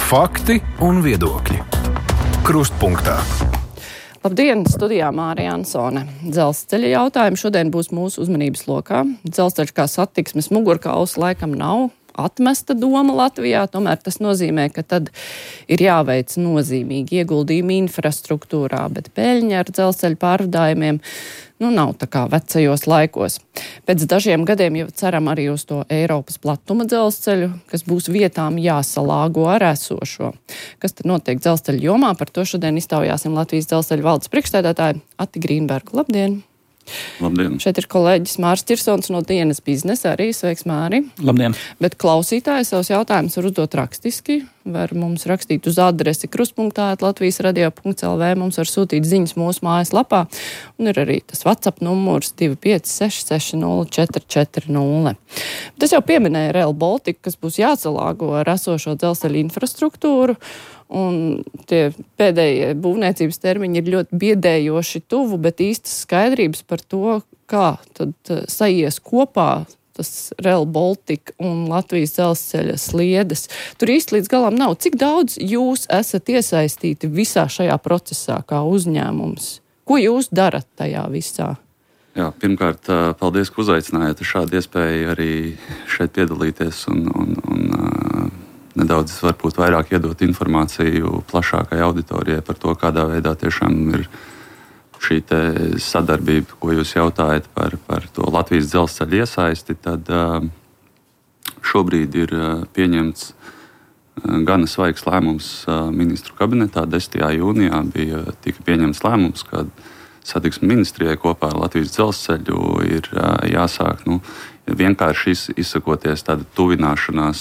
Fakti un viedokļi. Krustpunktā. Labdien, studijā Mārija Ansone. Dzelzceļa jautājumi šodien būs mūsu uzmanības lokā. Dzelzceļš kā satiksmes mugurkauls laikam nav atmesta doma Latvijā, tomēr tas nozīmē, ka tad ir jāveic nozīmīgi ieguldījumi infrastruktūrā, bet peļņa ar dzelzceļa pārvadājumiem nav tā kā vecajos laikos. Pēc dažiem gadiem jau ceram arī uz to Eiropas platuma dzelzceļu, kas būs vietām jāsalāgo ar esošo. Kas tad notiek dzelzceļa jomā? Par to šodien iztaujāsim Latvijas dzelzceļa valdes priekšsēdētāju Ati Grīnbergu. Labdien! Labdien! Šeit ir kolēģis Māris Čirsons no Dienas biznesa arī. Sveiks, Māri! Labdien! Bet klausītāji savus jautājumus var uzdot rakstiski. Var mums rakstīt uz adresi krustpunktā@latvijasradio.lv. Mums var sūtīt ziņas mūsu mājaslapā. Un ir arī tas WhatsApp numurs 256604440. Tas jau pieminēja Rail Baltica, kas būs jāsalāgo ar esošo dzelzceļa infrastruktūru. Un tie pēdējie būvniecības termiņi ir ļoti biedējoši tuvu, bet īstas skaidrības par to, kā tad saies kopā tas Rail Baltica un Latvijas dzelzceļa sliedes. Tur īsti līdz galam nav. Cik daudz jūs esat iesaistīti visā šajā procesā kā uzņēmums? Ko jūs darat tajā visā? Jā, pirmkārt, paldies, ka uzaicinājāt šādu iespēju arī šeit piedalīties un nedaudz varbūt vairāk iedot informāciju plašākai auditorijai par to, kādā veidā tiešām ir šī sadarbība, ko jūs jautājat par to Latvijas dzelzceļa iesaisti. Tad šobrīd ir pieņemts gana svaigs lēmums ministru kabinetā. 10. jūnijā tika pieņemts lēmums, ka satiksmes ministrijai kopā ar Latvijas dzelzceļu ir jāsāk vienkārši izsakoties tāda tuvināšanās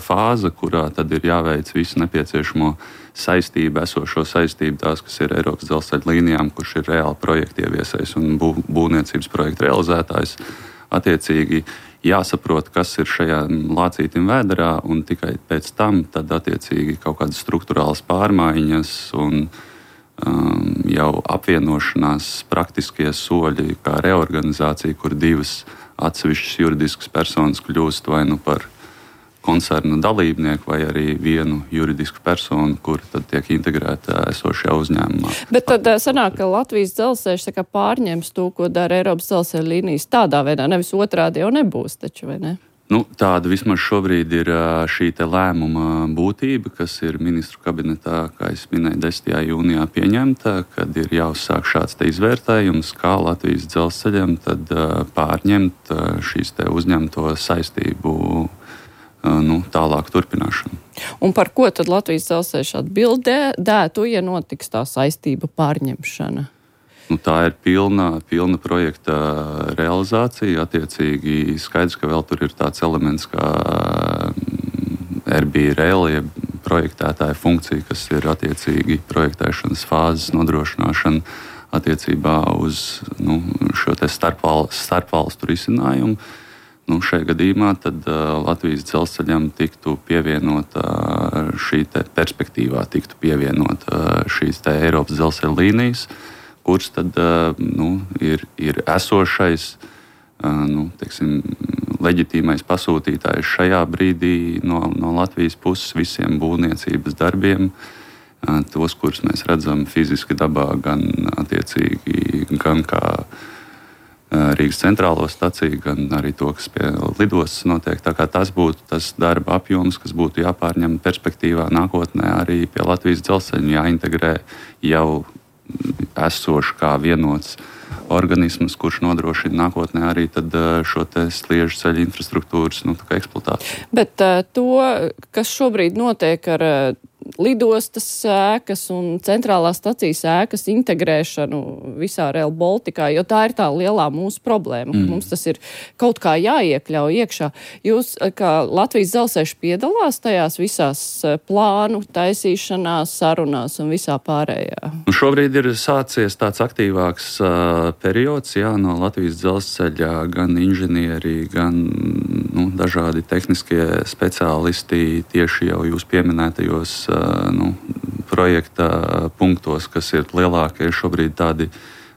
fāze, kurā tad ir jāveic visu nepieciešamo saistību, esošo saistību, tās, kas ir Eiropas dzelzceļa līnijām, kurš ir reāli projekta ieviesējs un būvniecības projekta realizētājs. Attiecīgi jāsaprot, kas ir šajā lācītim vēderā, un tikai pēc tam tad attiecīgi kaut kādas struktūrālas pārmaiņas un jau apvienošanās praktiskie soļi, kā reorganizācija, kur divas atsevišķas juridiskas personas kļūst vai par koncerna dalībnieku, vai arī vienu juridisku personu, kur tad tiek integrēta esošajā uzņēmumā. Bet tad sanāk, ka Latvijas dzelzceļš pārņems to, ko dara Eiropas dzelzceļa līnijas tādā veidā, nevis otrādi jau nebūs taču, vai ne? Tāda vismaz šobrīd ir šī lēmuma būtība, kas ir ministru kabinetā, kā es minēju, 10. jūnijā pieņemta, kad ir jāuzsāk šāds izvērtējums, kā Latvijas dzelzceļam tad pārņemt šīs uzņemto saistību tālāk turpināšanu. Un par ko tad Latvijas dzelzceļš atbildētu, ja notiks tā saistība pārņemšana? Tā ir pilna projekta realizācija. Attiecīgi skaidrs, ka vēl tur ir tāds elements kā RB Rail, projektētāja funkcija, kas ir attiecīgi projektēšanas fāzes nodrošināšana attiecībā uz šo starpvalstu risinājumu. Šajā gadījumā tad Latvijas dzelzceļam tiktu pievienota perspektīvā tiktu pievienota šīs Eiropas dzelzceļa līnijas, kurš tad ir esošais, leģitīmais pasūtītājs šajā brīdī no Latvijas puses visiem būvniecības darbiem, tos, kurus mēs redzam fiziski dabā, gan kā Rīgas centrālo staciju, gan arī to, kas pie lidostas notiek. Tā kā tas būtu tas darba apjoms, kas būtu jāpārņem perspektīvā nākotnē arī pie Latvijas dzelzceļa, jāintegrē jau esoši kā vienots organisms, kurš nodrošina nākotnē arī tad šo sliežu ceļu infrastruktūras eksploatāciju. Bet to, kas šobrīd notiek ar lidostas ēkas un centrālās stacijas ēkas integrēšanu visā Rail Balticā, jo tā ir tā lielā mūsu problēma. Mums tas ir kaut kā jāiekļauj iekšā. Jūs, kā Latvijas dzelzceļš, piedalās tajās visās plānu taisīšanās, sarunās un visā pārējā? Šobrīd ir sācies tāds aktīvāks periods, no Latvijas dzelzceļa gan inženieri, gan dažādi tehniskie speciālisti tieši jau jūs pieminētajos projekta punktos, kas ir lielākie šobrīd tādi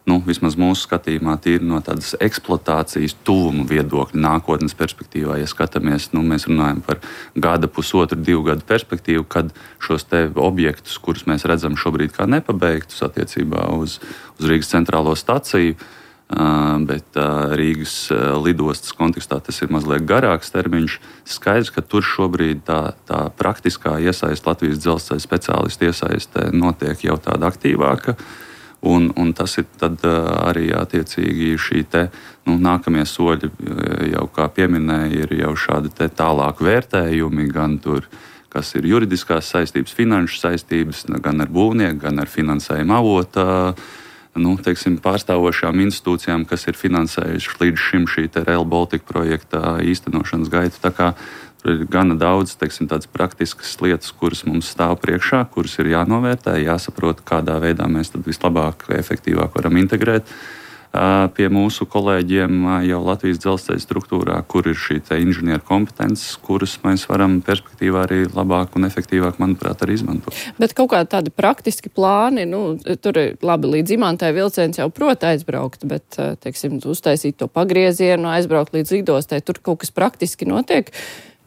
vismaz mūsu skatījumā, tīri no tādas eksploatācijas tuvuma viedokļa nākotnes perspektīvā. Ja skatāmies, mēs runājam par gada, pusotru, 2 gadu perspektīvu, kad šos te objektus, kurus mēs redzam šobrīd kā nepabeigtus attiecībā uz Rīgas centrālo staciju, bet Rīgas lidostas kontekstā tas ir mazliet garāks termiņš. Skaidrs, ka tur šobrīd tā praktiskā iesaiste, Latvijas dzelzceļa speciālistu iesaiste notiek jau tāda aktīvāka. Un tas ir tad arī attiecīgi šī te nākamie soļi, jau kā pieminēja, ir jau šādi te tālāk vērtējumi, gan tur, kas ir juridiskās saistības, finanšu saistības, gan ar būvnieku, gan ar finansējuma avotu, pārstāvošām institūcijām, kas ir finansējuši līdz šim šī te Rail Baltica projekta īstenošanas gaitu. Tā kā tur ir gana daudz, tādas praktiskas lietas, kuras mums stāv priekšā, kuras ir jānovērtē, jāsaprot, kādā veidā mēs tad vislabāk, efektīvāk varam integrēt pie mūsu kolēģiem jau Latvijas dzelzceļa struktūrā, kur ir šī te inženieru kompetences, kuras mēs varam perspektīvā arī labāk un efektīvāk, manuprāt, arī izmantot. Bet kaut kādi tādi praktiski plāni, tur ir labi, līdz Imantai vilciens jau prot aizbraukt, bet, uztaisīt to pagriezienu, aizbraukt līdz lidostai, tur kaut kas praktiski notiek,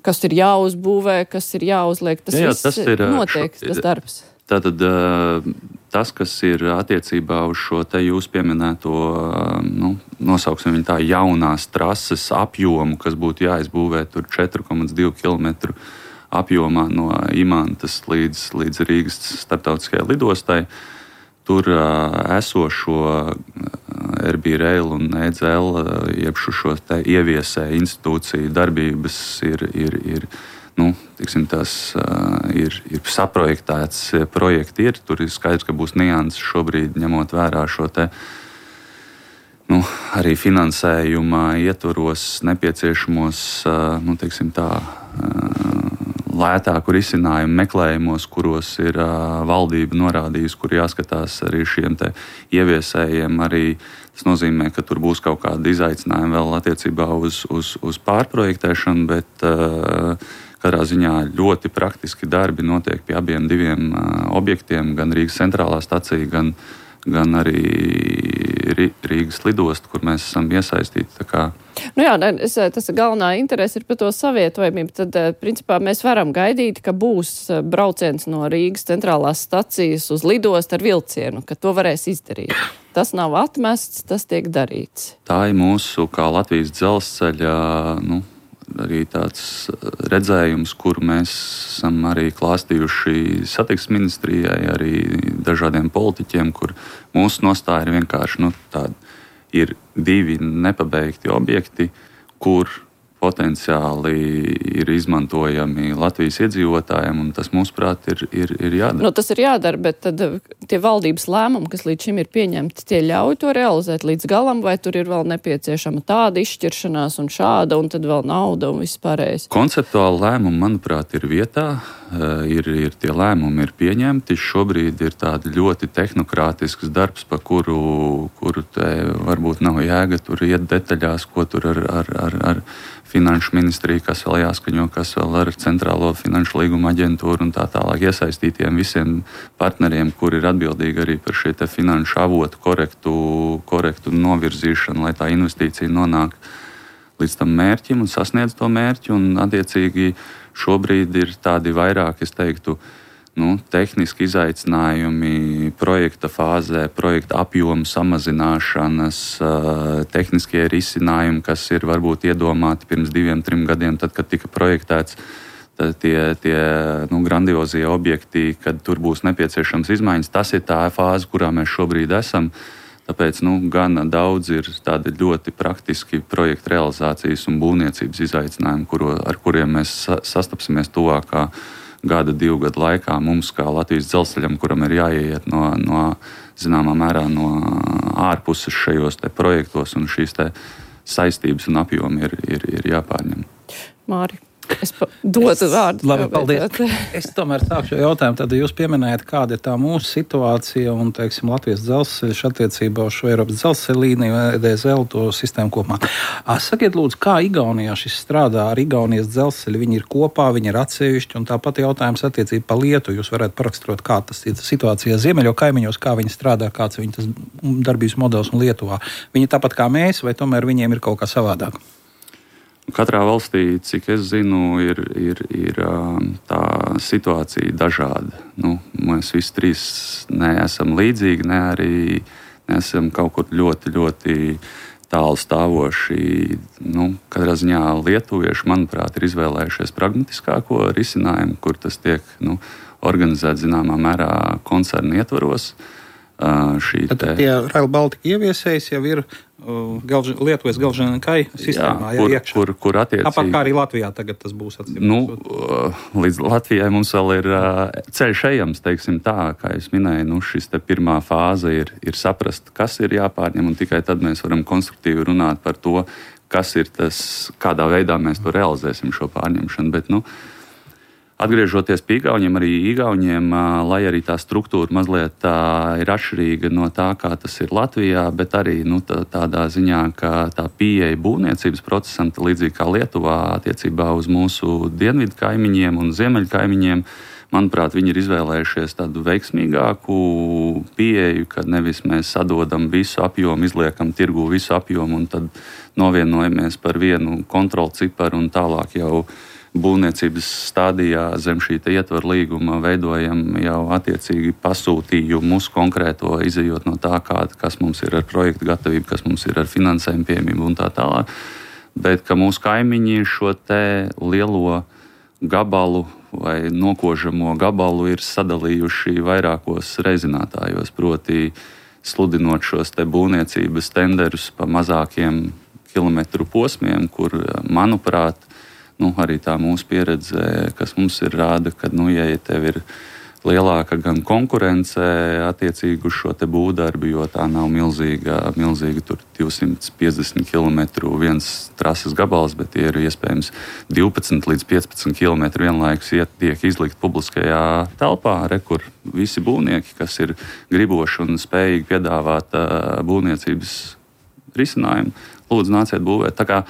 kas ir jāuzbūvē, kas ir jāuzliek, tas notiek, tas darbs. Tātad tas, kas ir attiecībā uz šo te jūs pieminēto, nosauksim viņu tā, jaunās trases apjomu, kas būtu jāizbūvē tur 4,2 km apjomā no Imantas līdz Rīgas starptautiskajai lidostai, tur esošo RB Rail un EDZL, jeb šo te ieviesē institūciju darbības ir saprojektēts projekti tur ir skaidrs, ka būs nianses šobrīd, ņemot vērā šo te arī finansējuma ietvaros nepieciešamos, lētāku risinājumu meklējumos, kuros ir valdība norādījusi, kur jāskatās arī šiem te ieviesējiem. Arī tas nozīmē, ka tur būs kaut kāda izaicinājuma vēl attiecībā uz pārprojektēšanu, bet katrā ziņā ļoti praktiski darbi notiek pie abiem diviem objektiem, gan Rīgas centrālā stacija, gan arī Rīgas lidosta, kur mēs esam iesaistīti. Tas galvenā interese ir par to savietojamību. Tad, principā, mēs varam gaidīt, ka būs brauciens no Rīgas centrālās stacijas uz lidostu ar vilcienu, ka to varēs izdarīt. Tas nav atmests, tas tiek darīts. Tā ir mūsu, kā Latvijas dzelzceļa, arī tāds redzējums, kuru mēs esam arī klāstījuši satiksmes ministrijai, arī dažādiem politiķiem, kur mūsu nostāja ir vienkārši ir 2 nepabeigti objekti, kur potenciāli ir izmantojami Latvijas iedzīvotājiem, un tas, mūsuprāt, ir jādara. Tas ir jādara, bet tad tie valdības lēmumi, kas līdz šim ir pieņemti, tie ļauj to realizēt līdz galam, vai tur ir vēl nepieciešama tāda izšķiršanās un šāda, un tad vēl nauda un viss pārējais? Konceptuāli lēmumi, manuprāt, ir vietā. Ir tie lēmumi ir pieņemti. Šobrīd ir tāda ļoti tehnokrātisks darbs, pa kuru te varbūt nav jēga tur iet detaļās, ko tur ar finanšu ministriju, kas vēl jāskaņo, kas vēl ar centrālo finanšu līguma aģentūru un tā tālāk iesaistītiem visiem partneriem, kuri ir atbildīgi arī par šie te finanšu avotu korektu novirzīšanu, lai tā investīcija nonāk līdz tam mērķim un sasniedz to mērķi. Un attiecīgi šobrīd ir tādi vairāk, es teiktu, tehniski izaicinājumi projekta fāzē, projekta apjomu samazināšanas, tehniskie risinājumi, kas ir varbūt iedomāti pirms 2-3 gadiem, tad, kad tika projektēts tie grandiozie objekti, kad tur būs nepieciešams izmaiņas. Tas ir tā fāze, kurā mēs šobrīd esam. Tāpēc gana daudz ir tādi ļoti praktiski projekta realizācijas un būvniecības izaicinājumi, ar kuriem mēs sastapsimies tuvākā gada, 2 gadu laikā. Mums, kā Latvijas dzelzceļam, kuram ir jāieiet no zināmā mērā no ārpuses šajos te projektos, un šīs te saistības un apjomi ir jāpārņem. Māri. Es dotu vārdu. Labi, paldies. Es tomēr sākšu jautājumu. Tad jūs pieminējat, kāda ir tā mūsu situācija un, teiksim, Latvijas dzelzceļš attiecībā uz šo Eiropas dzelzceļa līniju, EDSL, to sistēmu kopumā. Sakiet, lūdzu, kā Igaunijā šis strādā ar Igaunijas dzelzceļu? Viņi ir kopā, viņi ir atsevišķi, un tāpat jautājums attiecībā par Lietuvu. Jūs varētu paraksturot, kā tas ir situācija ziemeļo kaimiņos, kā viņi strādā, kāds ir tas darbības modelis un Lietuvā. Viņi tāpat kā mēs, vai tomēr viņiem ir kaut kā savādāk? Katrā valstī, cik es zinu, ir tā situācija dažāda. Mēs visi trīs neesam līdzīgi, ne arī neesam kaut kur ļoti, ļoti tālu stāvoši. Katrā ziņā lietuvieši, manuprāt, ir izvēlējušies pragmatiskāko risinājumu, kur tas tiek organizēts zināmā mērā koncernu ietvaros. Tad tie Rail Baltica ieviesējs jau ir Lietuvas Galžņakai sistēmā, kur attiecīgi. Tāpat kā arī Latvijā tagad tas būs līdz Latvijai mums vēl ir ceļš ejams, teiksim tā, kā es minēju, šis te pirmā fāze ir saprast, kas ir jāpārņem, un tikai tad mēs varam konstruktīvi runāt par to, kas ir tas, kādā veidā mēs to realizēsim šo pārņemšanu, bet, atgriežoties pie Igauniem, arī Igauniem, lai arī tā struktūra mazliet ir atšķirīga no tā, kā tas ir Latvijā, bet arī tādā ziņā, ka tā pieeja būvniecības procesam, līdzīgi kā Lietuvā attiecībā uz mūsu dienvidu kaimiņiem un ziemeļu kaimiņiem, manuprāt, viņi ir izvēlējušies tādu veiksmīgāku pieeju, kad nevis mēs sadodam visu apjomu, izliekam tirgū visu apjomu un tad novienojamies par vienu kontrolu ciparu un tālāk jau būvniecības stādijā zem šī ietvaru līguma veidojam jau attiecīgi pasūtījumu uz konkrēto, izejot no tā, kas mums ir ar projektu gatavību, kas mums ir ar finansējumu pieejamību un tā tālāk. Bet ka mūsu kaimiņi šo te lielo gabalu vai nokožamo gabalu ir sadalījuši vairākos reizinātājos, proti sludinot šos te būvniecības tenderus pa mazākiem kilometru posmiem, kur, manuprāt, arī tā mūsu pieredze, kas mums ir rāda, ka, ja tev ir lielāka gan konkurence attiecīgi uz šo te būvdarbu, jo tā nav milzīga tur 250 km viens trases gabals, bet tie ir iespējams 12 līdz 15 km vienlaikus tiek izlikt publiskajā telpā, kur visi būvnieki, kas ir griboši un spējīgi piedāvāt būvniecības risinājumu, lūdzu nāciet būvēt. Tā kā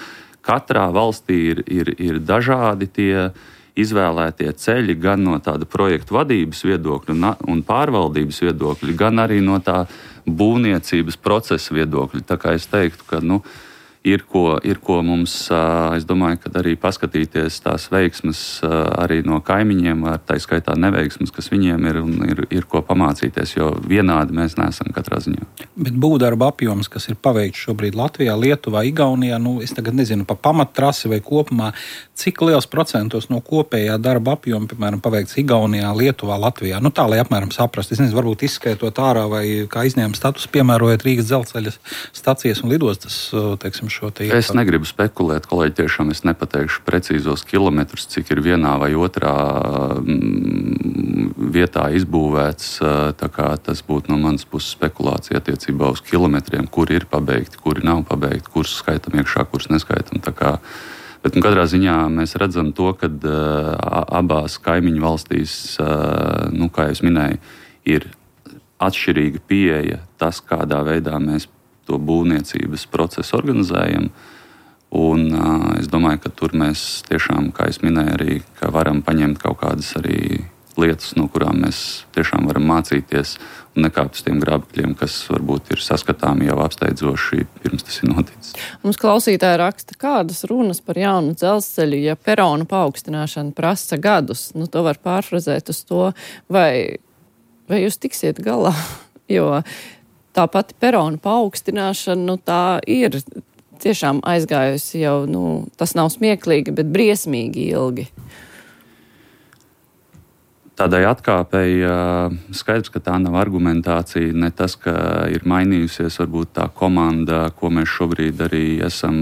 katrā valstī ir dažādi tie izvēlētie ceļi, gan no tāda projektu vadības viedokļa un pārvaldības viedokļa, gan arī no tā būvniecības procesa viedokļa. Tā kā es teiktu, ka ir ko mums, es domāju, ka arī paskatīties tās veiksmes arī no kaimiņiem, tā skaitā neveiksmes, kas viņiem ir, un ir ko pamācīties, jo vienādi mēs neesam katrā ziņā. Bet būvdarba apjoms, kas ir paveikts šobrīd Latvijā, Lietuvā, Igaunijā, es tagad nezinu, pa pamattrasi vai kopumā, cik liels procentos no kopējā darba apjoma, piemēram, paveikts Igaunijā, Lietuvā, Latvijā? Tā, lai apmēram saprastu. Es nezinu, varbūt izskaitot ārā vai kā izņēmuma status, piemērojot Rīgas dzelzceļa stacijas un lidostas, teiksim, šo te ietvaru. Es negribu spekulēt, kolēģi, tiešām es nepateikšu precīzos kilometrus, cik ir vienā vai otrā vietā izbūvēts. Tā kā tas būtu no manas puses spekulācija attiecībā uz kilometriem, kuri ir pabeigti, kuri nav pabeigti, kurus skaitam iekšā, kurus neskaitam. Bet katrā ziņā mēs redzam to, ka abās kaimiņu valstīs, kā jau es minēju, ir atšķirīga pieeja tas, kādā veidā mēs to būvniecības procesu organizējam. Un es domāju, ka tur mēs tiešām, kā es minēju, arī ka varam paņemt kaut kādas arī lietas, no kurām mēs tiešām varam mācīties un nekāpt uz tiem grābekļiem, kas varbūt ir saskatāmi jau apsteidzoši pirms tas ir noticis. Mums klausītāji raksta, kādas runas par jaunu dzelzceļu, ja peronu paaugstināšana prasa gadus. To var pārfrazēt uz to, vai jūs tiksiet galā, jo tā pati peronu paaugstināšana, tā ir tiešām aizgājusi jau, tas nav smieklīgi, bet briesmīgi ilgi. Tādai atkāpei skaidrs, ka tā nav argumentācija, ne tas, ka ir mainījusies varbūt tā komanda, ko mēs šobrīd arī esam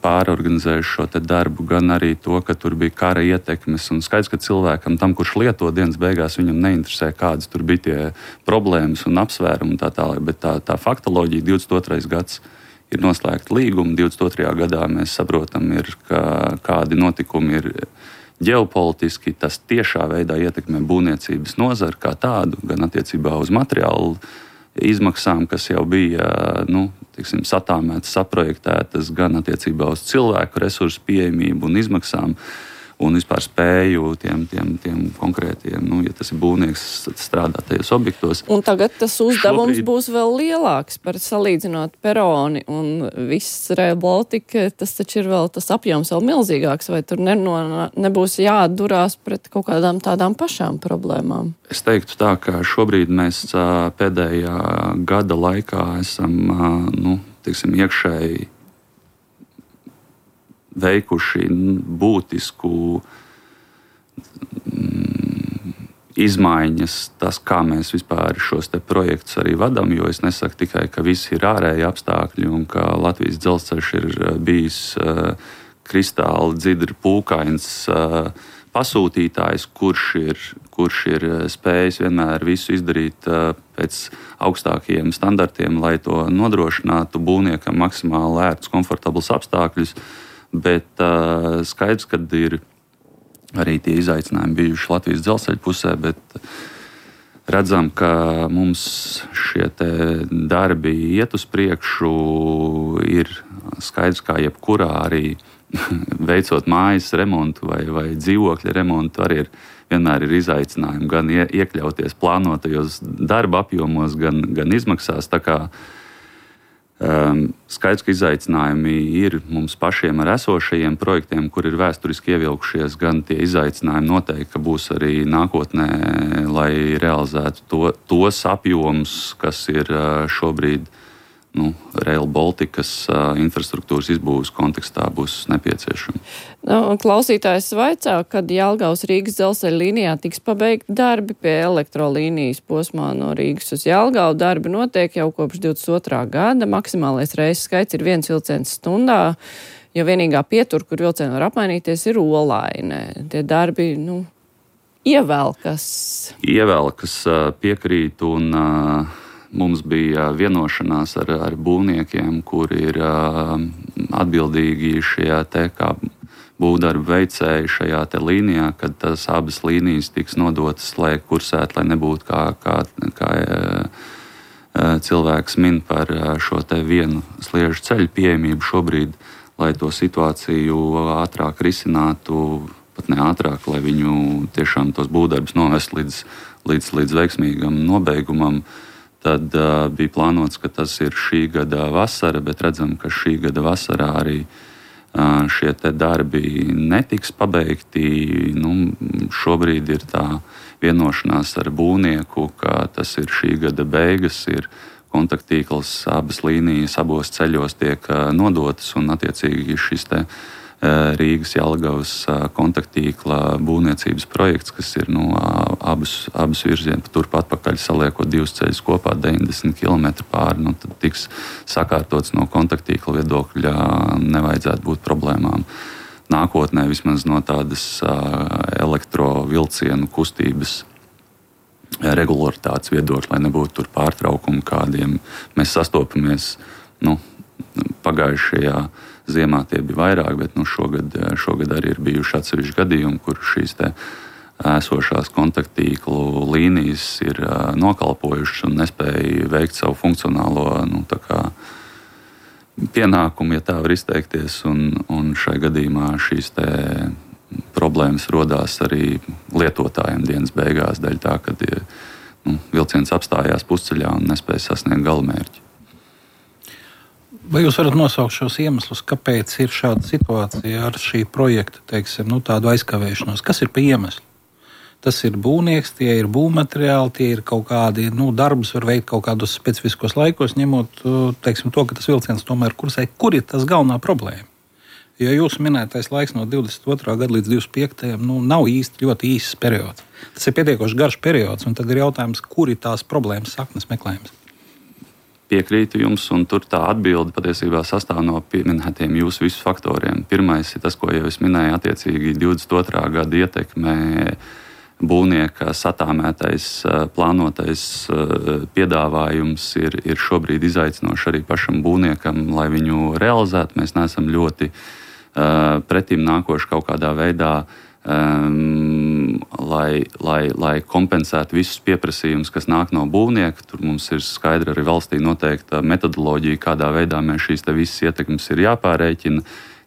pārorganizējuši šo te darbu, gan arī to, ka tur bija kara ietekmes. Un skaidrs, ka cilvēkam, tam, kurš lieto dienas beigās, viņam neinteresē, kādas tur bija tie problēmas un apsvērumi un tā tālāk, bet tā faktoloģija 22. gads ir noslēgti līgumi. 22. gadā mēs saprotam, kādi notikumi ir ģeopolitiski. Tas tiešā veidā ietekmē būvniecības nozari kā tādu, gan attiecībā uz materiālu izmaksām, kas jau bija satāmētas, saprojektētas, gan attiecībā uz cilvēku resursu pieejamību un izmaksām. Un vispār spēju tiem konkrētiem, ja tas ir būvnieks, strādāt tajos objektos. Un tagad tas uzdevums būs vēl lielāks par salīdzinot peroni un viss Rail Baltica. Tas taču ir vēl tas apjoms vēl milzīgāks, vai tur nebūs jāatdurās pret kaut kādām tādām pašām problēmām? Es teiktu tā, ka šobrīd mēs pēdējā gada laikā esam, iekšēji veikuši būtisku izmaiņas, tas, kā mēs vispār šos te projektus arī vadām, jo es nesaku tikai, ka visi ir ārēji apstākļi un ka Latvijas dzelzceļš ir bijis kristāli dzidri pūkains pasūtītājs, kurš ir spējis vienmēr visu izdarīt pēc augstākajiem standartiem, lai to nodrošinātu būvniekam maksimāli ērtus, komfortablus apstākļus. Bet skaidrs, ka ir arī tie izaicinājumi bijuši Latvijas dzelzceļa pusē, bet redzam, ka mums šie te darbi iet uz priekšu. Ir skaidrs, kā jebkurā arī veicot mājas remontu vai dzīvokļa remontu, arī vienmēr ir izaicinājumi gan iekļauties plānotajos darba apjomos, gan izmaksās. Tā kā skaidrs, ka izaicinājumi ir mums pašiem ar esošajiem projektiem, kur ir vēsturiski ievilkušies, gan tie izaicinājumi noteikti, ka būs arī nākotnē, lai realizētu tos apjomus, kas ir šobrīd Rail Balticas infrastruktūras izbūves kontekstā būs nepieciešami. Klausītājs vaicā, kad Jelgavas Rīgas dzelzceļa līnijā tiks pabeigti darbi pie elektrolīnijas posmā no Rīgas uz Jelgavu. Darbi notiek jau kopš 22. gada. Maksimālais reisu skaits ir 1 vilciens stundā, jo vienīgā pietura, kur vilcieni var apmainīties, ir Olaine. Tie darbi, ievelkas. Ievelkas, piekrīt, un mums bija vienošanās ar būvniekiem, kuri ir atbildīgi šajā te kā būvdarbu veicēji šajā te līnijā, kad tas abas līnijas tiks nodotas, lai kursētu, lai nebūtu kā cilvēks min par šo te vienu sliežu ceļu pieejamību šobrīd, lai to situāciju ātrāk risinātu, pat ne ātrāk, lai viņu tiešām tos būvdarbus novest līdz veiksmīgam nobeigumam. Tad bija plānots, ka tas ir šī gada vasara, bet redzam, ka šī gada vasarā arī šie te darbi netiks pabeigti. Šobrīd ir tā vienošanās ar būvnieku, ka tas ir šī gada beigas, ir kontaktīkls, abas līnijas abos ceļos tiek nodotas, un attiecīgi šis te Rīgas Jelgavas kontaktīkla būvniecības projekts, kas ir abas virzienus turpat atpakaļ saliekot divus ceļus kopā 90 km pāri, tad tiks sakārtots no kontaktīkla viedokļa, nevajadzētu būt problēmām. Nākotnē vismaz no tādas elektrovilcienu kustības regularitātes viedokļa, lai nebūtu tur pārtraukumi, kādiem mēs sastopamies. Pagājušajā ziemā tie bija vairāk, bet šogad arī ir bijuši atsevišķi gadījumi, kur šīs te esošās kontaktīklu līnijas ir nokalpojušas un nespēja veikt savu funkcionālo pienākumu, ja tā var izteikties. Un šai gadījumā šīs te problēmas rodās arī lietotājiem dienas beigās, dēļ tā, kad vilciens apstājās pusceļā un nespēja sasniegt galamērķi. Vai jūs varat nosaukt šos iemeslus, kāpēc ir šāda situācija ar šī projekta, tādu aizkavēšanos? Kas ir pa iemeslu? Tas ir būvnieks, tie ir būvmateriāli, tie ir kaut kādi darbus, var veikt kaut kādos specifiskos laikos, ņemot to, ka tas vilciens tomēr kursē. Kur ir tas galvenā problēma? Jo jūsu minētais laiks no 22. gada līdz 25. Nav īsti ļoti īsts periods. Tas ir pietiekoši garš periods, un tad ir jautājums, kur ir tās problēmas saknes meklējums. Piekrītu jums, un tur tā atbilde patiesībā sastāv no pieminētiem jūsu visu faktoriem. Pirmais ir tas, ko jau es minēju, attiecīgi 22. gada ietekmē būvnieka satāmētais, plānotais piedāvājums ir šobrīd izaicinoši arī pašam būvniekam, lai viņu realizētu. Mēs neesam ļoti pretim nākoši kaut kādā veidā, lai kompensētu visus pieprasījumus, kas nāk no būvnieka. Tur mums ir skaidra arī valstī noteikta metodoloģija, kādā veidā mēs šīs te visas ietekmes ir jāpārēķina.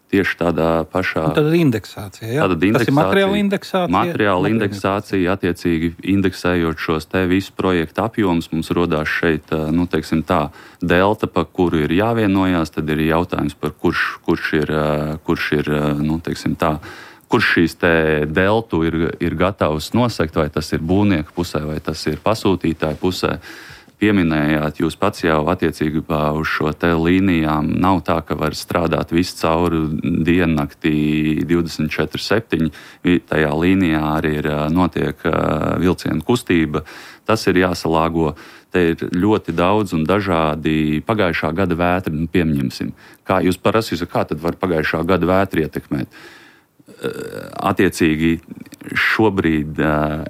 Tieši tādā pašā... Un tad ir indeksācija, jā? Tas ir materiāla indeksācija? Materiāla indeksācija, attiecīgi indeksējot šos te visu projektu apjomus, mums rodās šeit, teiksim tā, delta, pa kuru ir jāvienojās, tad ir jautājums par kurš ir, teiksim tā, kurš šīs te deltu ir gatavs nosekt, vai tas ir būvnieka pusē, vai tas ir pasūtītāja pusē. Pieminējāt, jūs pats jau attiecībā uz šo te līnijām nav tā, ka var strādāt visu cauri diennaktī 24/7. Tajā līnijā arī notiek vilcienu kustība. Tas ir jāsalāgo. Te ir ļoti daudz un dažādi pagājušā gada vētri, pieņemsim. Kā jūs prasīsiet, kā tad var pagājušā gada vētri ietekmēt? Attiecīgi šobrīd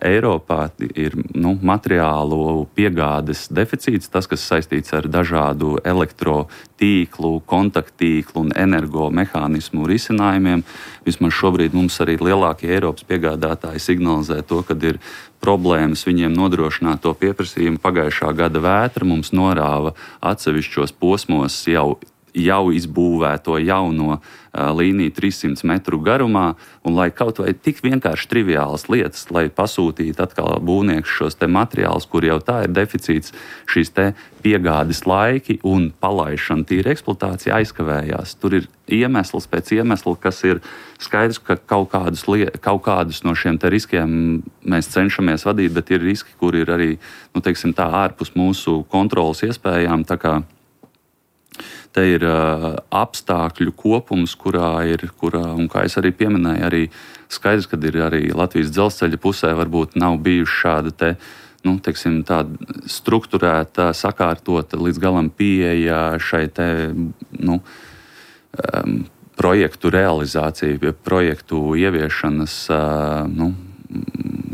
Eiropā ir materiālu piegādes deficīts, tas, kas saistīts ar dažādu elektrotīklu, kontakttīklu un energomehānismu risinājumiem. Vismaz šobrīd mums arī lielākie Eiropas piegādātāji signalizē to, kad ir problēmas viņiem nodrošināt to pieprasījumu. Pagājušā gada vētra mums norāva atsevišķos posmos jau izbūvēto jauno līniju 300 metru garumā, un lai kaut vai tik vienkārši triviālas lietas, lai pasūtītu atkal būvnieks šos te materiālus, kur jau tā ir deficīts, šīs te piegādes laiki un palaišana tīra eksploatācija aizkavējās. Tur ir iemesls pēc iemesla, kas ir skaidrs, ka kaut kādus no šiem te riskiem mēs cenšamies vadīt, bet ir riski, kur ir arī, teiksim tā, ārpus mūsu kontrolas iespējām, tā kā te ir apstākļu kopums, kurā, un kā es arī pieminēju, arī skaidrs, ka ir arī Latvijas dzelzceļa pusē varbūt nav bijuši šāda te, teiksim, tāda strukturēta, sakārtota līdz galam pieeja šai te, projektu realizācija, projektu ieviešanas,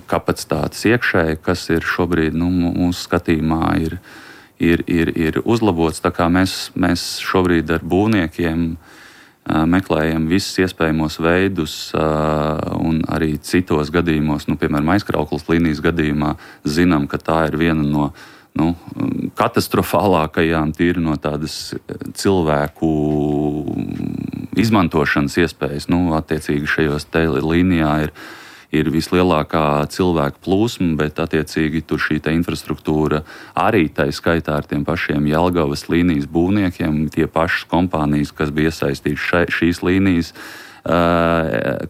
kapacitātes iekšēji, kas ir šobrīd, mūsu skatījumā ir uzlabots, tā kā mēs šobrīd ar būvniekiem meklējam visus iespējamos veidus un arī citos gadījumos, piemēram, aizkrauklas līnijas gadījumā, zinām, ka tā ir viena no katastrofālākajām tīri no tādas cilvēku izmantošanas iespējas. Attiecīgi šajos te līnijā ir vislielākā cilvēku plūsma, bet attiecīgi tur šī infrastruktūra arī tai skaitā ar tiem pašiem Jelgavas līnijas būvniekiem, tie pašas kompānijas, kas bija iesaistītas šīs līnijas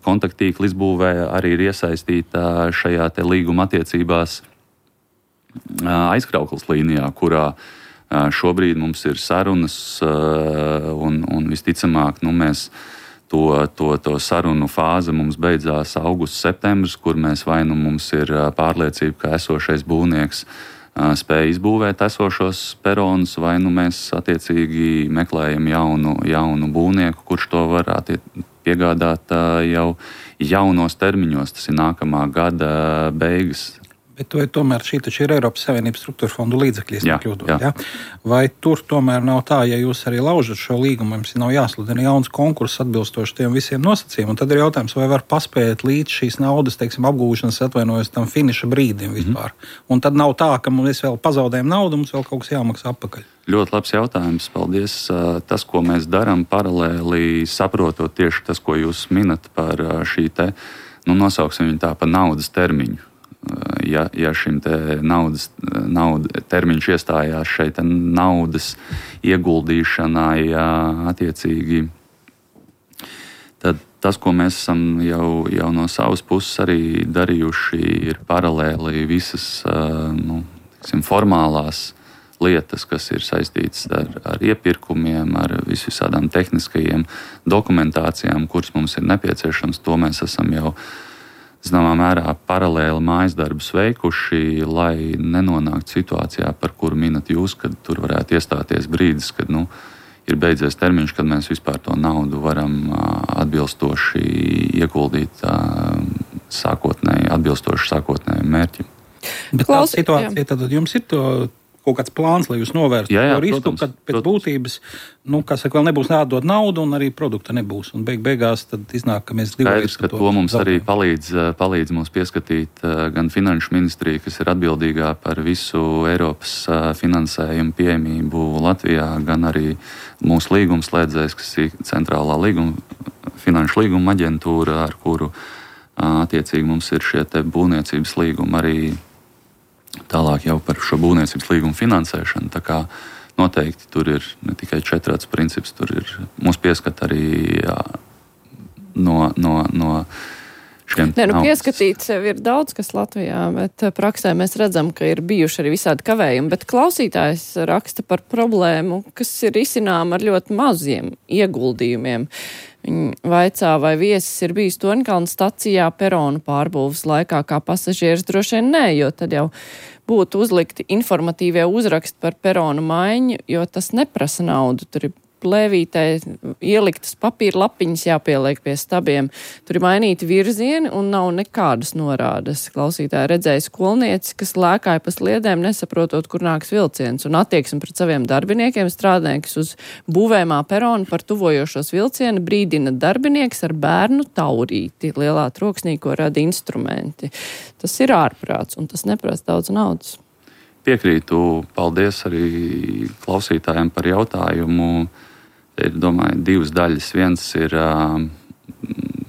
kontakttīkla izbūvē, arī ir iesaistīta šajā te līguma attiecībās aizkrauklas līnijā, kurā šobrīd mums ir sarunas un visticamāk, mēs to sarunu fāze mums beidzās augusts, septembris, kur mēs vai mums ir pārliecība, ka esošais būvnieks spēja izbūvēt esošos peronus, vai mēs attiecīgi meklējam jaunu būvnieku, kurš to var piegādāt jau jaunos termiņos. Tas ir nākamā gada beigas. Bet tomēr šī taču ir Eiropas Savienības struktūra fondu līdzekļi, ja? Vai tur tomēr nav tā, ja jūs arī laužat šo līgumu, jums nav jāsludina jauns konkurss atbilstoši tiem visiem nosacījumiem, un tad ir jautājums, vai var paspēt līdz šīs naudas, teiksim, apgūšanas atvainojas tam finiša brīdim vispār. Un tad nav tā, ka mēs vēl pazaudējam naudu, mums vēl kaut kas jāmaksā atpakaļ. Ļoti labs jautājums, paldies. Tas, ko mēs darām paralēli, saprotot tieši tas, ko jūs minat par šī te, nosauksim viņu tā par naudas termiņu. Ja šim te nauda termiņš iestājās šeit naudas ieguldīšanai attiecīgi, tad tas, ko mēs esam jau no savas puses arī darījuši, ir paralēli visas formālās lietas, kas ir saistītas ar iepirkumiem, ar visādām tehniskajiem dokumentācijām, kuras mums ir nepieciešams. To mēs esam jau zināmā mērā paralēli mājas darbus veikuši, lai nenonāktu situācijā, par kuru minat jūs, kad tur varētu iestāties brīdis, kad ir beidzies termiņš, kad mēs vispār to naudu varam atbilstoši ieguldīt atbilstoši sākotnējiem mērķim. Bet tāda situācija, tad jums ir kaut kāds plāns, lai jūs novērstu to risku, protams, kad pēc būtības, vēl nebūs jādod naudu un arī produkta nebūs. Un beigās tad iznāk, ka mēs Skaidrs, ka to mums arī palīdz mums pieskatīt gan Finanšu ministrija, kas ir atbildīgā par visu Eiropas finansējumu pieejamību Latvijā, gan arī mūsu līgumslēdzējs, kas ir centrālā Finanšu līguma aģentūra, ar kuru attiecīgi mums ir šie te būvniecības līgumi arī tālāk jau par šo būvniecības līgumu finansēšanu. Tā kā noteikti tur ir ne tikai 4 princips, tur ir mūs pieskat arī no šiem. Pieskatīt sev ir daudz, kas Latvijā, bet praksē mēs redzam, ka ir bijuši arī visādi kavējumi. Bet klausītājs raksta par problēmu, kas ir risinām ar ļoti maziem ieguldījumiem. Viņi vaicā, vai viesis ir bijis Torņkalna stacijā peronu pārbūves laikā, kā pasažieris droši vien nē, jo tad jau būtu uzlikti informatīvie uzraksti par peronu maiņu, jo tas neprasa naudu. Tur ir plēvītē ieliktas papīra lapiņas jāpieliek pie stabiem. Tur ir mainīti virzieni un nav nekādas norādes. Klausītāji redzēja skolnieci, kas lēkāja pa sliedēm, nesaprotot, kur nāks vilciens, un attieksmi pret saviem darbiniekiem strādnieks uz būvējumā peronu par tuvojošos vilcienu brīdina darbinieks ar bērnu taurīti, lielā troksnī, ko rada instrumenti. Tas ir ārprāts, un tas neprasa daudz naudas. Piekrītu, paldies arī klausītājiem par jautājumu. Ir, domāju, 2 daļas. Viens ir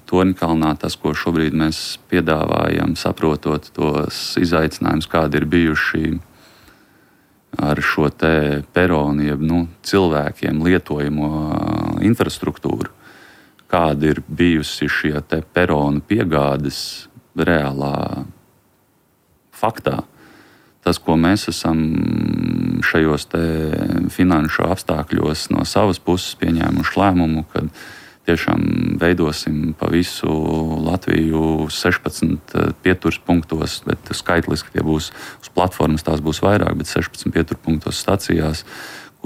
Torņkalnā tas, ko šobrīd mēs piedāvājam, saprotot tos izaicinājumus, kādi ir bijuši ar šo te peronu, jeb cilvēkiem lietojamo infrastruktūru, kāda ir bijusi šie te peronu piegādes reālā faktā. Tas, ko mēs esam šajos te finanšu apstākļos no savas puses pieņēmuši lēmumu, kad tiešām veidosim pa visu Latviju 16 pieturas punktos, bet skaitliski tie būs uz platformas, tās būs vairāk, bet 16 pieturas punktos stacijās,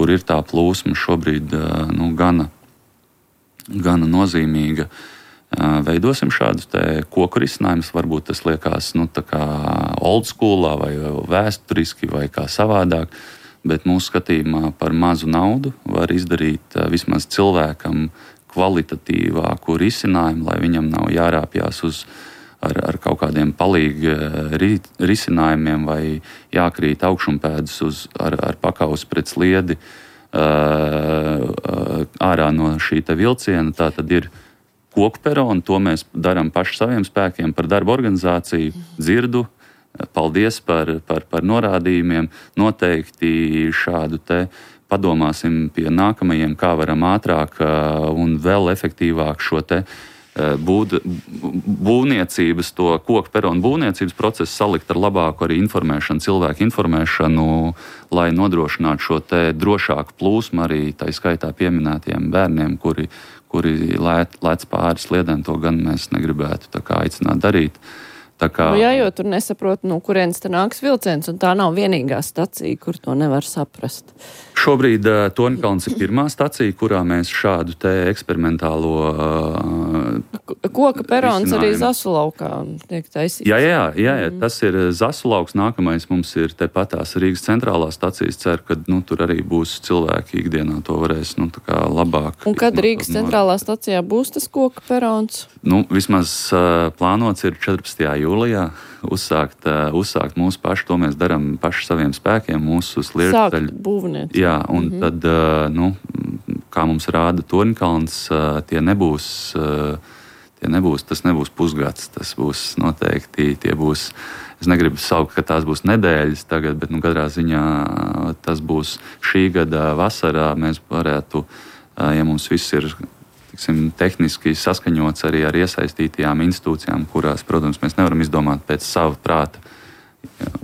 kur ir tā plūsma šobrīd gana nozīmīga. Veidosim šādus te koku risinājumus, varbūt tas liekas tā kā old schoolā vai vēsturiski vai kā savādāk, bet mūsu skatījumā par mazu naudu var izdarīt vismaz cilvēkam kvalitatīvāku risinājumu, lai viņam nav jārāpjās ar kaut kādiem palīgi risinājumiem vai jākrīt augšumpēdus ar pakausi pret sliedi ārā no šī te vilciena. Tā tad ir koku peronu, to mēs darām paši saviem spēkiem par darba organizāciju, dzirdu. Paldies par norādījumiem. Noteikti šādu te padomāsim pie nākamajiem, kā varam ātrāk un vēl efektīvāk šo te būvniecības, to koku peronu būvniecības procesu salikt ar labāku arī informēšanu, cilvēku informēšanu, lai nodrošinātu šo te drošāku plūsmu arī tā skaitā pieminētiem bērniem, kuri lēc pāri sliedēm, to gan mēs negribētu tā kā aicināt darīt. Jo tur nesaprot, kurienes te nāks vilciens, un tā nav vienīgā stacija, kur to nevar saprast. Šobrīd Torņkalns ir pirmā stacija, kurā mēs šādu te eksperimentālo koka perons arī Zasulaukā tiek taisīts. Jā, tas ir Zasulauks. Nākamais mums ir tepatās Rīgas centrālā stacijas. Ceru, ka tur arī būs cilvēki ikdienā to varēs tā kā labāk. Un kad Rīgas centrālā stacijā būs tas koka perons? Vismaz plānots ir 14. jūlijā uzsākt mūsu pašu. To mēs darām paši saviem spēkiem, mūsu sliedceļu. Sākt būvniet. Jā, un tad, kā mums rāda Torņkalns, tas nebūs pusgads, tas būs noteikti, es negribu saukt, ka tās būs nedēļas tagad, bet katrā ziņā tas būs šī gada vasarā. Mēs varētu, ja mums viss ir tehniski saskaņots arī ar iesaistītajām institūcijām, kurās, protams, mēs nevaram izdomāt pēc sava prāta,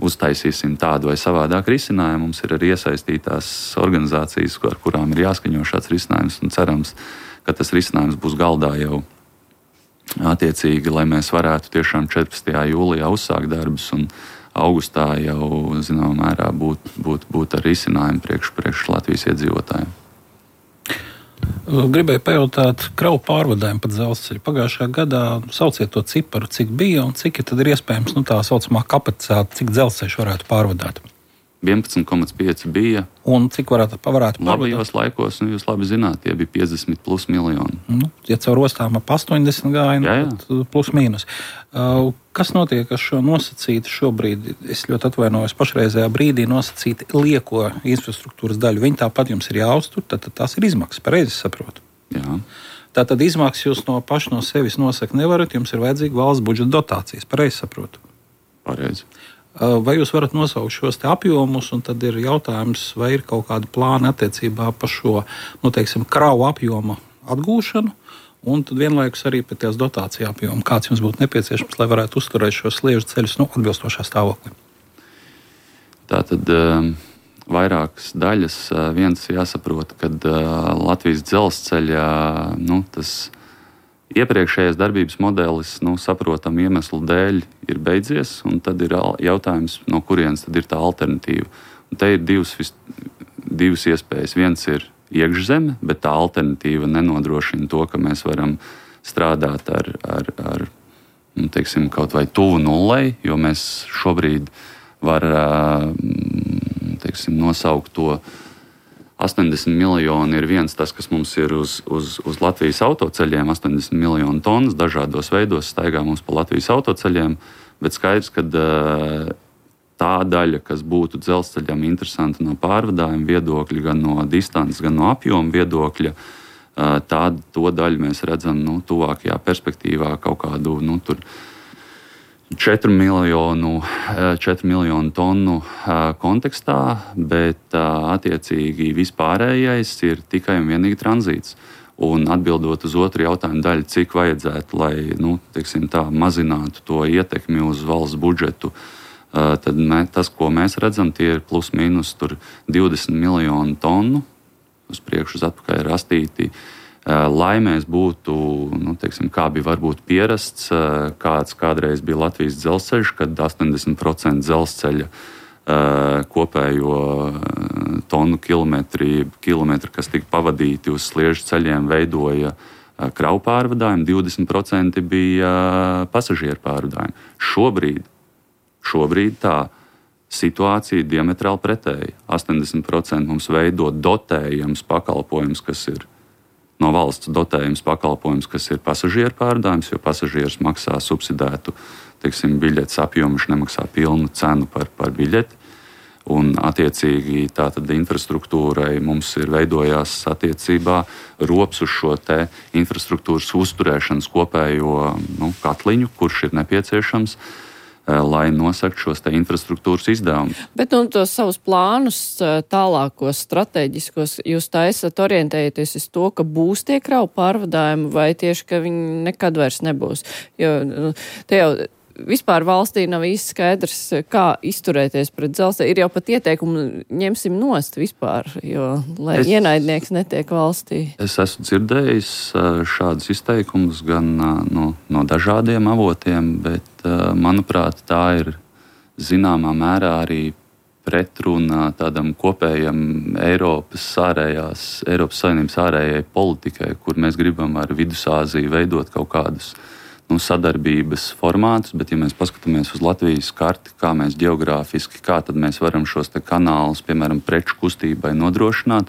uztaisīsim tādu vai savādāku risinājumu. Mums ir arī iesaistītās organizācijas, ar kurām ir jāskaņo šāds risinājums, un cerams, ka tas risinājums būs galdā jau attiecīgi, lai mēs varētu tiešām 14. jūlijā uzsākt darbus un augustā jau, zināmā mērā, būt ar risinājumu priekš Latvijas iedzīvotājiem. Gribēju pajautāt kravu pārvadājumu pa dzelzceļu. Pagājušajā gadā sauciet to ciparu, cik bija un cik tad ir iespējams tā saucamā kapacitāte, cik dzelzceļš varētu pārvadāt. 11,5 bija. Un cik varētu pārvadāt? Labajos laikos, jūs labi zināt, tie bija 50+ miljoni. Ja caur ostām ap 80 gāja, tad plus mīnus. Kas notiek ar šo nosacītu šobrīd? Es ļoti atvainojos, pašreizējā brīdī nosacīti lieko infrastruktūras daļu. Viņi tāpat jums ir jāuztur, tad tās ir izmaksas, pareizi saprotu. Jā. Tātad izmaksas jūs paši no sevis nosakt nevarat, jums ir vajadzīga valsts budžeta dotācijas, pareizi saprotu. Pareizi. Vai jūs varat nosaukt šos te apjomus, un tad ir jautājums, vai ir kaut kāda plāna attiecībā par šo, kravu apjoma atgūšanu, un tad vienlaikus arī pēc tās dotācija apjoma, kāds jums būtu nepieciešams, lai varētu uzturēt šos sliežu ceļus atbilstošā stāvoklī? Tātad vairākas daļas. Viens jāsaprot, ka Latvijas dzelzceļa, tas iepriekšējais darbības modelis, saprotam iemeslu dēļ ir beidzies, un tad ir jautājums, no kurienes tad ir tā alternatīva. Un te ir divas iespējas. Viens ir iekšzeme, bet tā alternatīva nenodrošina to, ka mēs varam strādāt ar kaut vai tuvu nullei, jo mēs šobrīd varam nosaukt to 80 miljoni ir viens tas, kas mums ir uz Latvijas autoceļiem, 80 miljonu tonnas dažādos veidos staigā mums pa Latvijas autoceļiem, bet skaidrs, ka tā daļa, kas būtu dzelzceļam interesanta no pārvadājuma viedokļa, gan no distances, gan no apjoma viedokļa, to daļu mēs redzam tuvākajā perspektīvā kaut kādu 4 miljonu tonnu kontekstā, bet attiecīgi vispārējais ir tikai un vienīgi tranzīts. Un atbildot uz otru jautājumu daļu, cik vajadzētu, lai mazinātu to ietekmi uz valsts budžetu, tad tas, ko mēs redzam, tie ir plus mīnus 20 miljonu tonnu uz priekšu uz atpakaļ rastīti. Lai mēs būtu, kā bija varbūt pierasts, kāds kādreiz bija Latvijas dzelzceļš, kad 80% dzelzceļa kopējo tonu kilometri, kas tika pavadīti uz sliežu ceļiem, veidoja kravu pārvadājumu, 20% bija pasažieru pārvadājumu. Šobrīd tā situācija ir diametrāli pretēja. 80% mums veido dotējams pakalpojums, kas ir no valsts dotējums pakalpojums, kas ir pasažieru pārvadājums, jo pasažieris maksā subsidētu biļetes apjomu, viņš nemaksā pilnu cenu par biļeti. Un attiecīgi tātad infrastruktūrai mums ir veidojās attiecībā rops uz šo te infrastruktūras uzturēšanas kopējo katliņu, kurš ir nepieciešams, lai nosaktu šos te infrastruktūras izdevumus. Bet tos savus plānus tālākos, strateģiskos, jūs taisat orientējaties uz to, ka būs tie kravu pārvadājumi, vai tieši, ka viņi nekad vairs nebūs? Jo te jau vispār valstī nav īsti skaidrs, kā izturēties pret dzelzceļu. Ir jau pat ieteikumi, ņemsim nost vispār, jo lai ienaidnieks netiek valstī. Es esmu dzirdējis šādus izteikumus gan no dažādiem avotiem, bet, manuprāt, tā ir zināmā mērā arī pretrunā tādam kopējam Eiropas Savienības ārējai politikai, kur mēs gribam ar Vidusāziju veidot kaut kādus sadarbības formātus, bet ja mēs paskatāmies uz Latvijas karti, kā mēs geogrāfiski, kā tad mēs varam šos te kanālus, piemēram, preču kustībai nodrošināt,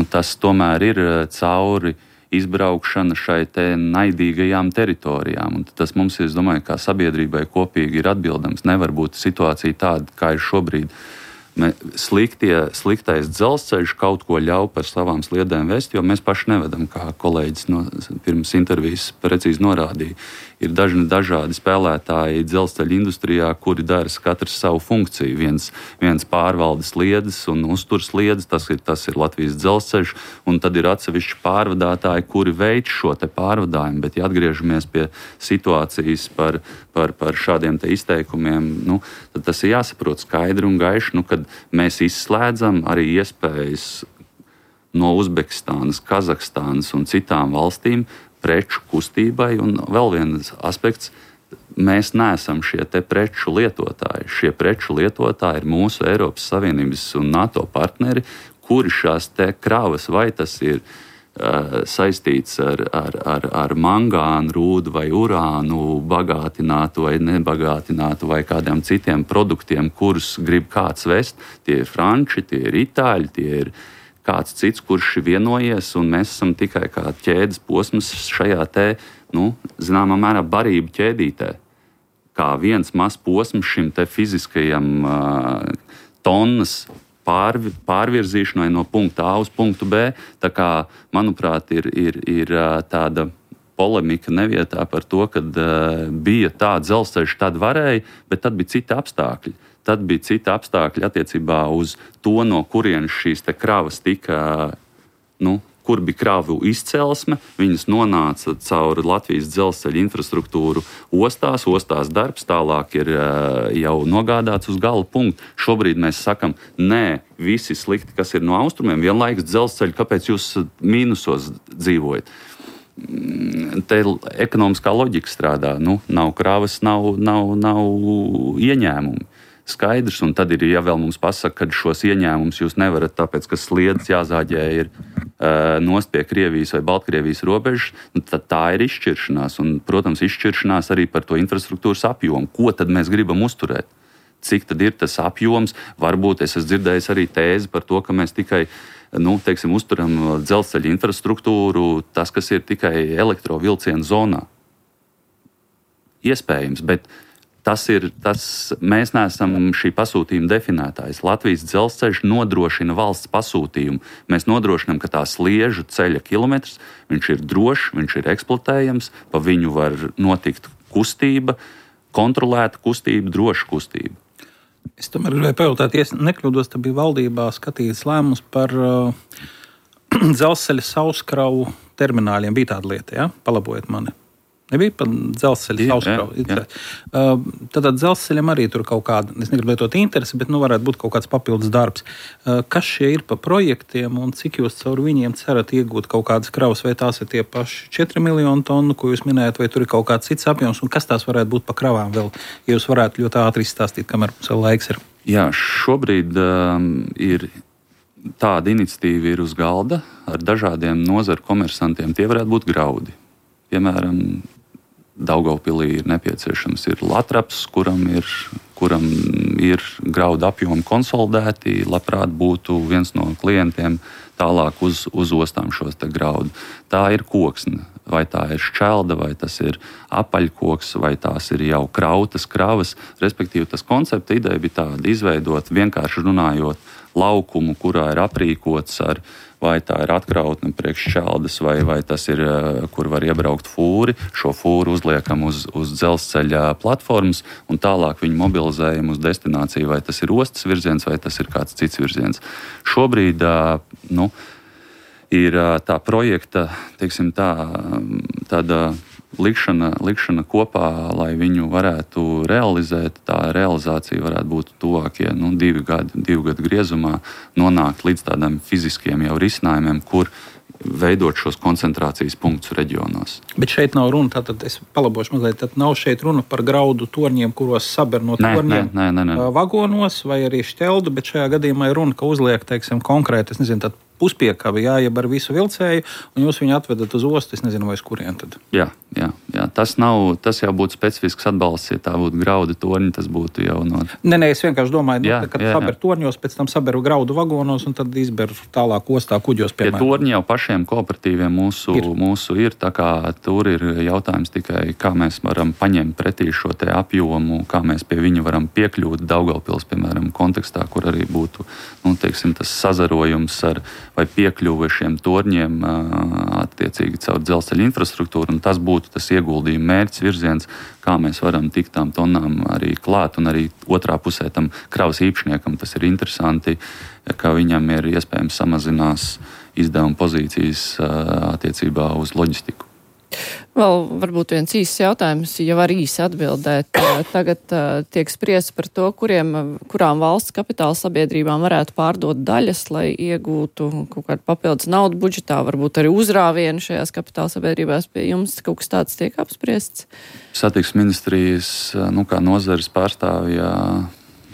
tas tomēr ir cauri izbraukšana šai te naidīgajām teritorijām. Un tas mums, es domāju, kā sabiedrībai kopīgi ir atbildams. Nevar būt situācija tāda, kā ir šobrīd. Sliktais dzelzceļš kaut ko ļauj par savām sliedēm vest, jo mēs paši nevedam, kā kolēģis pirms intervijas precīzi norādīja. Ir dažādi spēlētāji dzelzceļa industrijā, kuri dara katrs savu funkciju. Viens pārvalda sliedes un uztur sliedes, tas ir Latvijas dzelzceļš, un tad ir atsevišķi pārvadātāji, kuri veic šo te pārvadājumu. Bet, ja atgriežamies pie situācijas par šādiem te izteikumiem, tad tas ir jāsaprot skaidri un gaiši, kad mēs izslēdzam arī iespējas no Uzbekistānas, Kazahstānas un citām valstīm preču kustībai. Un vēl viens aspekts, mēs neesam šie te preču lietotāji. Šie preču lietotāji ir mūsu Eiropas Savienības un NATO partneri, kuri šās te kravas, vai tas ir saistīts ar mangānu, rūdu vai urānu bagātinātu vai nebagātinātu vai kādiem citiem produktiem, kurus grib kāds vest. Tie ir franči, tie ir itāļi, tie ir kāds cits, kurš ir vienojies, un mēs esam tikai kā ķēdes posms šajā te, zināmā mērā barību ķēdītē. Kā viens mazs posms šim te fiziskajam tonnas pārvirzīšanai no punkta A uz punktu B. Tā kā, manuprāt, ir tāda polemika nevietā par to, kad bija tāds dzelzceļš, tad varēja, bet tad bija citi apstākļi. Tad bija citi apstākļi attiecībā uz to, no kurienes šīs te kravas tika, kur bija kravu izcelsme, viņas nonāca caur Latvijas dzelzceļa infrastruktūru ostās darbs, tālāk ir jau nogādāts uz gala punktu. Šobrīd mēs sakam, nē, visi slikti, kas ir no austrumiem, vienlaikus dzelzceļi, kāpēc jūs mīnusos dzīvojat? Te ekonomiskā loģika strādā, nav kravas, nav ieņēmumi. Skaidrs, un tad ir, ja vēl mums pasaka, ka šos ieņēmumus jūs nevarat, tāpēc, ka sliedas jāzāģē ir nost pie Krievijas vai Baltkrievijas robežas, tad tā ir izšķiršanās. Un, protams, izšķiršanās arī par to infrastruktūras apjomu. Ko tad mēs gribam uzturēt? Cik tad ir tas apjoms? Varbūt es esmu dzirdējis arī tēzi par to, ka mēs tikai uzturam dzelzceļa infrastruktūru, tas, kas ir tikai elektrovilcienu zonā. Iespējams, bet mēs neesam šī pasūtījuma definētājs. Latvijas dzelzceļš nodrošina valsts pasūtījumu. Mēs nodrošinām, ka tā sliežu ceļa kilometrs, viņš ir drošs, viņš ir eksploatējams, pa viņu var notikt kustība, kontrolēta kustība, droša kustība. Es tomēr gribēju pajautāt, ja nekļūdos, tad bija valdībā skatīts lēmums par dzelzceļa sauskravu termināļiem. Bija tāda lieta, ja? Palabojiet mani. Nebija pat dzelzceļa sauskravu. Tad dzelzceļam arī tur kaut kāda, es negribu lietot interesi, bet varētu būt kaut kāds papildus darbs. Kas šie ir pa projektiem un cik jūs caur viņiem cerat iegūt kaut kādas kravas, vai tās ir tie paši 4 miljonu tonu, ko jūs minējat, vai tur ir kaut kāds cits apjoms, un kas tās varētu būt pa kravām vēl, ja jūs varētu ļoti ātri izstāstīt, kamēr mums vēl laiks ir? Jā, šobrīd ir tāda iniciatīva ir uz galda ar dažādiem nozaru komersantiem. Tie varētu būt graudi. Piemēram, Daugavpilī ir nepieciešams latraps, kuram ir graudu apjomi konsolidēti. Labprāt būtu viens no klientiem tālāk uz ostām šos te graudu. Tā ir koksne, vai tā ir šķelda, vai tas ir apaļkoks, vai tās ir jau krautas kravas. Respektīvi, tas koncepta ideja bija tāda, izveidot vienkārši runājot laukumu, kurā ir aprīkots ar vai tā ir atkrautne priekš šķeldes, vai tas ir, kur var iebraukt fūri. Šo fūru uzliekam uz dzelzceļa platformas un tālāk viņu mobilizējam uz destināciju, vai tas ir ostas virziens, vai tas ir kāds cits virziens. Šobrīd ir tā projekta, teiksim tāda likšana kopā, lai viņu varētu realizēt. Tā realizācija varētu būt tuvākie 2 gadu griezumā, nonākt līdz tādiem fiziskiem jau risinājumiem, kur veidot šos koncentrācijas punktus reģionos. Bet šeit nav runa, tātad es palabošu mazliet, tad nav šeit runa par graudu torņiem, kuros saber no torņiem vagonos vai arī šķeldu, bet šajā gadījumā ir runa, ka uzliek, teiksim, konkrēti, es nezinu, tad puspiekavi, jeb ar visu vilcēju, un jūs viņu atvedat uz ostu, es nezinu, vai uz kurien tad. Jā. Tas jau būtu specifisks atbalsts, ja tā būtu graudu torņi, tas būtu jau no... Nē, es vienkārši domāju, kad saber torņos, pēc tam saberu graudu vagonos, un tad izber tālāk ostā kuģos, piemēram. Tie torņi jau pašiem kooperatīviem mūsu ir, tā kā tur ir jautājums tikai, kā mēs varam paņemt pretī šo te apjomu, kā mēs pie viņu varam piekļūt Daugavpils, piemēram, kontekstā, kur arī būtu, tas sazarojums vai piekļuve šiem torņiem attiecīgi caur dzelzceļa infrastruktūru, un tas būtu tas ieguldījuma mērķis, virziens, kā mēs varam tikt tām tonnām arī klāt, un arī otrā pusē tam kravas īpašniekam tas ir interesanti, ka viņam ir iespējams samazinās izdevuma pozīcijas attiecībā uz loģistiku. Vēl varbūt viens īsts jautājums, ja var īsi atbildēt. Tagad tiek spriests par to, kurām valsts kapitāla sabiedrībām varētu pārdot daļas, lai iegūtu kaut kādu papildus naudu budžetā, varbūt arī uzrāvienu šajās kapitāla sabiedrībās pie jums. Kaut kas tāds tiek apspriests? Satiksmes ministrijas, kā nozares pārstāvja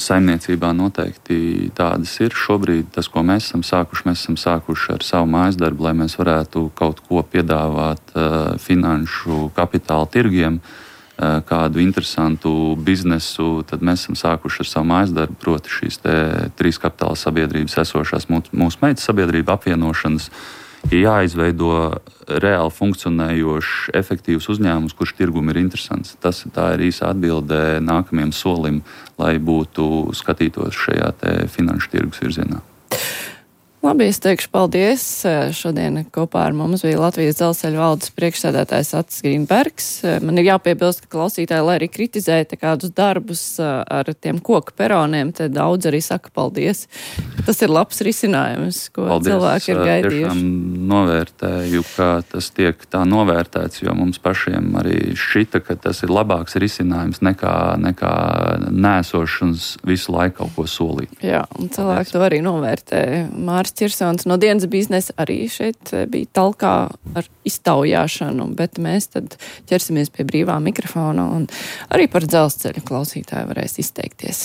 saimniecībā noteikti tādas ir. Šobrīd tas, ko mēs esam sākuši ar savu mājas darbu, lai mēs varētu kaut ko piedāvāt finanšu kapitāla tirgiem, kādu interesantu biznesu, tad mēs esam sākuši ar savu mājas darbu, proti šīs 3 kapitāla sabiedrības esošās mūsu meitas sabiedrība apvienošanas. Ir jāizveido reāli funkcionējošs, efektīvs uzņēmums, kurš tirgum ir interesants. Tā ir īsa atbilde nākamajam solim, lai skatītos šajā finanšu tirgus virzienā. Labi, es teikšu paldies. Šodien kopā ar mums bija Latvijas dzelzceļa valdes priekšsēdētājs Atis Grīnbergs. Man ir jāpiebilst, ka klausītāji, lai arī kritizēja kādus darbus ar tiem koku peroniem, te daudz arī saka paldies. Tas ir labs risinājums, ko paldies, cilvēki ir gaidījuši. Tiešām novērtēju, ka tas tiek tā novērtēts, jo mums pašiem arī šķita, ka tas ir labāks risinājums nekā nēsošanas visu laiku kaut ko solīt. Jā, un cilvēki to arī novērtē. Māris Čirsons no Dienas biznesa arī šeit bija talkā ar iztaujāšanu, bet mēs tad ķersimies pie brīvā mikrofona un arī par dzelzceļu klausītāju varēs izteikties.